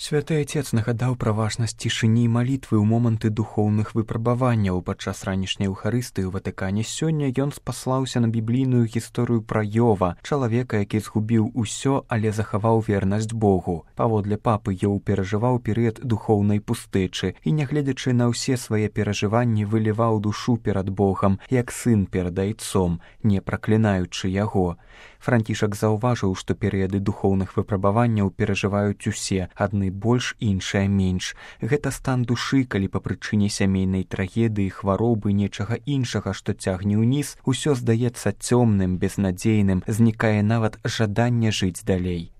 Святы Отец нагадаў пра важнасць цішыні і малітвы ў моманты духоўных выпрабаванняў. Падчас ранішняй Еўхарыстыі ў Ватыкане сёння ён спаслаўся на біблійную гісторыю пра Ёва, чалавека, які згубіў усё, але захаваў вернасць Богу. Паводле папы, Ёў перажываў перыяд духоўнай пустэчы і, нягледзячы на ўсе свае перажыванні, выліваў душу перад Богам, як сын перад айцом, не праклінаючы яго. Францішак заўважыў, што перыяды духоўных выпрабаванняў перажываюць усе, адны больш, іншыя менш. Гэта стан душы, калі па прычыне сямейнай трагедыі, хваробы, нечага іншага, што цягне ўніз, усё здаецца цёмным, безнадзейным, знікае нават жаданне жыць далей.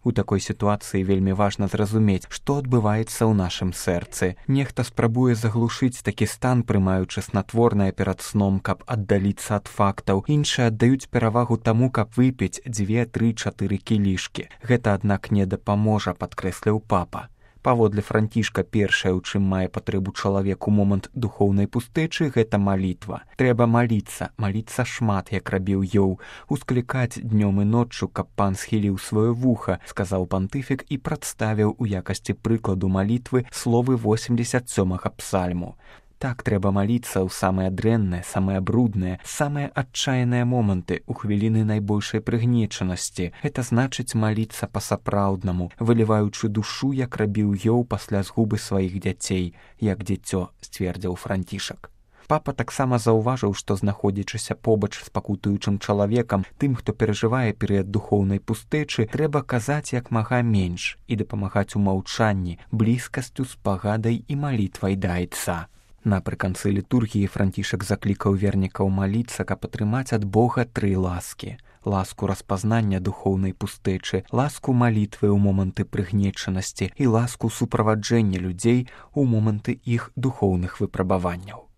У такой сітуацыі вельмі важна зразумець, што адбываецца ў нашым сэрцы. Нехта спрабуе заглушыць такі стан, прымаючы снатворнае перад сном, каб аддаліцца ад фактаў. Іншыя аддаюць перавагу таму, каб выпіць 2, 3, 4 кілішкі. Гэта, аднак, не дапаможа, падкрэсліў папа. Паводле Францішка, першае, у чым мае патрэбу чалавек у момант духоўнай пустэчы, гэта малітва. Трэба маліцца шмат, як рабіў Ёў, усклікаць днём і ноччу, каб пан схіліў сваё вуха, сказаў пантыфік і прадставіў у якасці прыкладу малітвы словы 87-га псальму. Так трэба маліцца ў самыя дрэнныя, самыя брудныя, самыя адчайныя моманты, у хвіліны найбольшай прыгнечанасці. Гэта значыць маліцца па-сапраўднаму, выліваючы душу, як рабіў Ёў пасля згубы сваіх дзяцей, як дзіцё, сцвердзіў Францішак. Папа таксама заўважыў, што, знаходзячыся побач з пакутуючым чалавекам, тым, хто перажывае перыяд духоўнай пустэчы, трэба казаць як мага менш і дапамагаць у маўчанні, блізкасцю, спагадай і малітвай да айца. Напрыканцы літургіі Францішак заклікаў вернікаў маліцца, каб атрымаць ад Бога 3 ласкі. Ласку распазнання духоўнай пустэчы, ласку малітвы ў моманты прыгнечанасці і ласку суправаджэння людзей у моманты іх духоўных выпрабаванняў.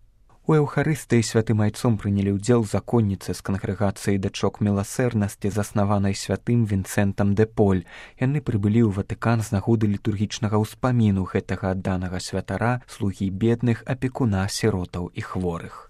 У Еўхарыстыі святым айцом прынялі ўдзел законніцы з кангрэгацыі дачок міласэрнасці, заснаванай святым Вінцэнтам дэ Поль. Яны прыбылі ў Ватыкан з нагоды літургічнага ўспаміну гэтага адданага святара, слугі бедных, апекуна, сіротаў і хворых.